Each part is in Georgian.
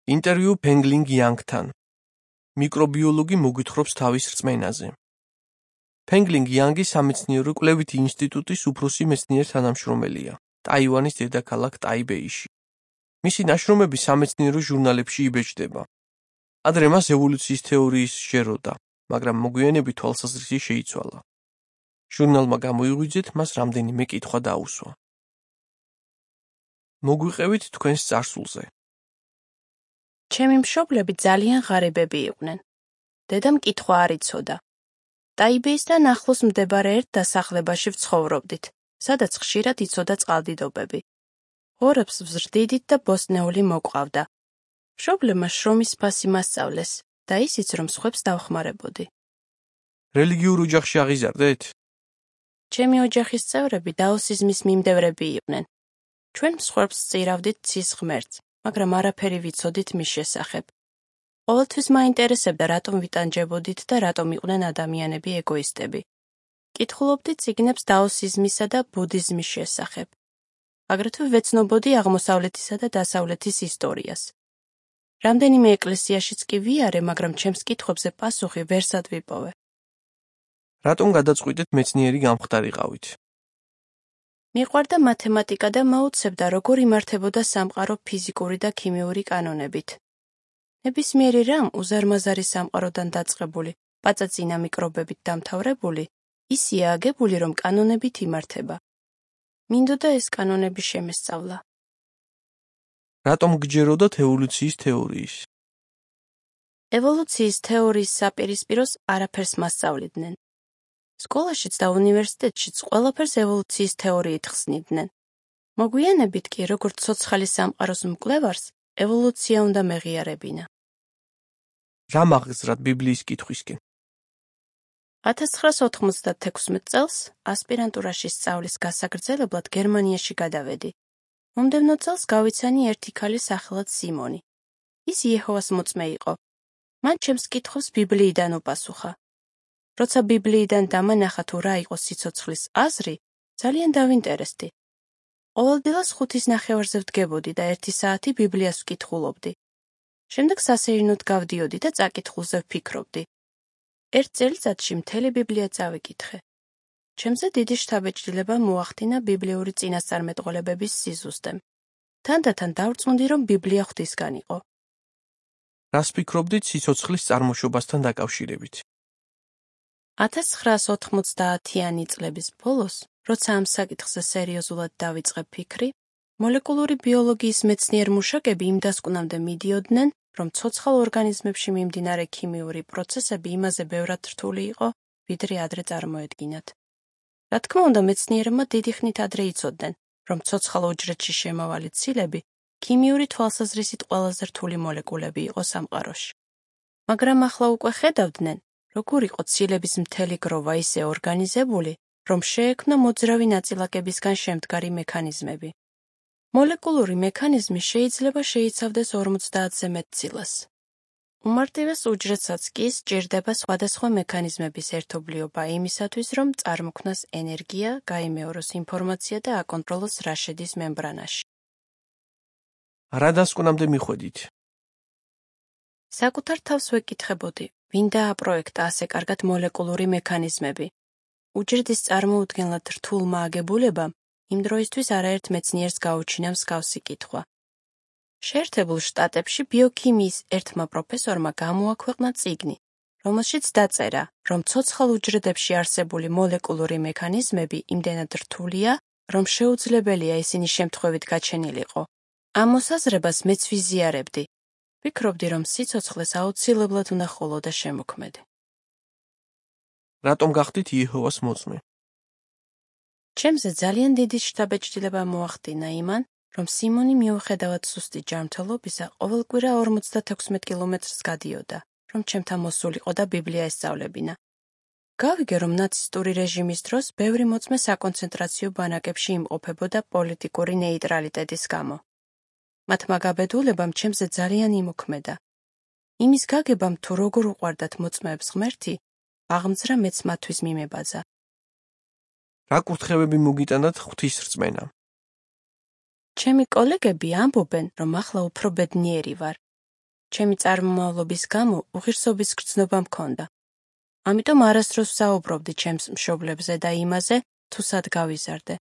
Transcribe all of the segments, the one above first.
ინტერვიუ ფენგლინგ იანგთან. მიკრობიოლოგი მოგვითხრობს თავის რწმენაზე. ფენგლინგ იანგი სამეცნიერო კვლევითი ინსტიტუტის უფროსი მეცნიერ თანამშრომელია, ტაივანის დედაქალაქ ტაიბეიში. მისი ნაშრომები სამეცნიერო ჟურნალებში იბეჭდება. ადრე მას ევოლუციის თეორიის შეეროდა, მაგრამ მოგვიანებით თვალსაზრისი შეიცვალა. ჟურნალმა გამოიღვიძეთ მას რამდენიმე კითხვა დაუსვა. მოგვიყევით თქვენს წარსულზე. ჩემი მშობლები ძალიან ღარიბები იყვნენ. დედამ კითხვა არ იცოდა. ტაიბეისთან ახლოს მდებარე ერთ დასახლებაში ვცხოვრობდით, სადაც ხშირად იცოდა წყალდიდობები. ღორებს ვზრდიდით და ბოსტნეული მოყავდა. მშობლებმა შრომის ფასი მასწავლეს და ისიც, რომ სხვებს დავხმარებოდი. რელიგიურ ოჯახში აღიზარდეთ? ჩემი ოჯახის წევრები დაოსიზმის მიმდევრები იყვნენ. ჩვენ მსხვერპლს სწირავდით ცის ღმერთს, მაგრამ არაფერი ვიცოდით მის შესახებ. ყოველთვის მაინტერესებდა, რატომ ვიტანჯებოდით და რატომ იყვნენ ადამიანები ეგოისტები. კითხულობდით წიგნებს დაოსიზმისა და ბუდიზმის შესახებ. აგრეთვე ვეცნობოდი აღმოსავლეთისა და დასავლეთის ისტორიას. რამდენიმე ეკლესიაშიც კი ვიარე, მაგრამ ჩემს კითხვებზე პასუხი ვერსად ვიპოვე. რატომ გადაწყვიტეთ მეცნიერი გამხდარიყავით? მიყვარდა მათემატიკა და მაუცებდა, როგორ იმართებოდა სამყარო ფიზიკური და ქიმიური კანონებით. ნებისმიერი რამ უზარმაზარი სამყაროდან დაწყებული, პაწაწინა მიკრობებით დამთავრებული, ისია აგებული, რომ კანონებით იმართება. მინდოდა ეს კანონები შემესწავლა. რატომ გჯეროდათ ევოლუციის თეორიის? ევოლუციის თეორიის საპირისპიროს არაფერს მასწავლიდნენ. სკოლაშიც და უნივერსიტეტშიც ყველაფერს ევოლუციის თეორიით ხსნიდნენ. მოგვიანებით კი, როგორც ცოცხალი სამყაროს მკვლევარს, ევოლუცია უნდა მეღიარებინა. რა მაღზრად ბიბლიის კითხვისკენ? 1996 წელს ასპირანტურაში სწავლის გასაგრძელებლად გერმანიაში გადავედი. მომდევნო წელს გავიცანი ერთი ქალი სახელად სიმონი. ის იეჰოვას მოწმე იყო. მან ჩემს კითხვებს ბიბლიიდან უპასუხა. როცა ბიბლიიდან დამანახა თუ რა იყო სიცოცხლის აზრი, ძალიან დავინტერესდი. ყოველდღიურად 5:30-ზე ვდგებოდი და 1 საათი ბიბლიას ვკითხულობდი. შემდეგ სასეირნოდ გავდიოდი და წაკითხულზე ვფიქრობდი. ერთ წელიწადში მთელი ბიბლია წავიკითხე. ჩემზე დიდი შთაბეჭდილება მოახდინა ბიბლიური წინასწარმეტყველებების სიზუსტემ. თანდათან დავწუნდი, რომ ბიბლია ღვთისგან იყო. რას ფიქრობდით სიცოცხლის წარმოშობასთან დაკავშირებით? 1990-იანი წლების ბოლოს, როცა ამ საკითხზე სერიოზულად დავიწყე ფიქრი, მოლეკულური ბიოლოგიის მეცნიერ-მუშაკები იმ დასკვნამდე მიდიოდნენ, რომ ცოცხალ ორგანიზმებში მიმდინარე ქიმიური პროცესები იმაზე ბევრად რთული იყო, ვიდრე ადრე წარმოედგინათ. რა თქმა უნდა, მეცნიერებმა დიდი ხნით ადრე იცოდნენ, რომ ცოცხალ უჯრედში შემავალი ცილები ქიმიური თვალსაზრისით ყველაზე რთული მოლეკულები იყო სამყაროში. მაგრამ ახლა უკვე ხედავდნენ, როგორ იყო ცილების მთელი გროვა ისე ორგანიზებული, რომ შეექმნა მოძრავი ნაწილაკებისგან შემდგარი მექანიზმები. მოლეკულური მექანიზმი შეიძლება შეიცავდეს 50-ზე მეტ ცილას. უმარტივეს უჯრედსაც კი სჭირდება სხვადასხვა მექანიზმების ერთობლიობა იმისათვის, რომ წარმოქმნას ენერგია, გაიმეოროს ინფორმაცია და აკონტროლოს რა შედის მემბრანაში. რა დასკვნამდე მიხვედით? საკუთარ თავს ვეკითხებოდი, ვინ დააპროექტა ასე კარგად მოლეკულური მექანიზმები. უჯრედის წარმოუდგენლად რთულმა აგებულებამ იმ დროისთვის არაერთ მეცნიერს გაუჩინა მსგავსი კითხვა. შეერთებულ შტატებში ბიოქიმიის ერთმა პროფესორმა გამოაქვეყნა წიგნი, რომელშიც დაწერა, რომ ცოცხალ უჯრედებში არსებული მოლეკულური მექანიზმები იმდენად რთულია, რომ შეუძლებელია ისინი შემთხვევით გაჩენილიყო. ამ მოსაზრებას მეც ვიზიარებდი. ვფიქრობდი, რომ სიცოცხლეს აუცილებლად უნდა ხოლოდა შემოქმედე. რატომ გახდით იეჰოვას მოწმე? ჩემზე ძალიან დიდი შთაბეჭდილება მოახდინა იმან, რომ სიმონი მიუხედავად სუსტი ჯანმრთელობისა ყოველკვირა 56 კილომეტრს გადიოდა, რომ ჩემთან მოსულიყო და ბიბლია ესწავლებინა. გავიგე, რომ ნაცისტური რეჟიმის დროს ბევრი მოწმე საკონცენტრაციო ბანაკებში იმყოფებოდა პოლიტიკური ნეიტრალიტეტის გამო. მათმა გაბედულებამ ჩემზე ძალიან იმოქმედა. იმის გაგებამ თუ როგორ უყვარდათ მოწმეებს ღმერთი, აღმძრა მეც მათთვის მიმებაძა. რა კურთხევები მოგიტანათ ღვთის რწმენა? ჩემი კოლეგები ამბობენ, რომ ახლა უფრო ბედნიერი ვარ. ჩემი წარმომავლობის გამო უღირსობის გრძნობა მქონდა. ამიტომ არასდროს ვსაუბრობდი ჩემს მშობლებზე და იმაზე, თუ სად გავიზარდე.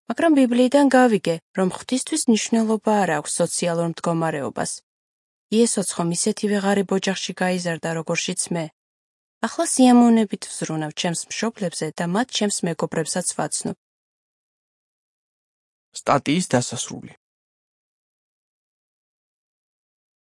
მაგრამ ბიბლიიდან გავიგე, რომ ღვთისთვის მნიშვნელობა არ აქვს სოციალურ მდგომარეობას. იესოც ხომ ისეთივე ღარიბ ოჯახში გაიზარდა, როგორშიც მე. ახლა სიამოვნებით ვზრუნავ ჩემს მშობლებზე და მათ ჩემს მეგობრებსაც ვაცნობ. სტატიის დასასრული.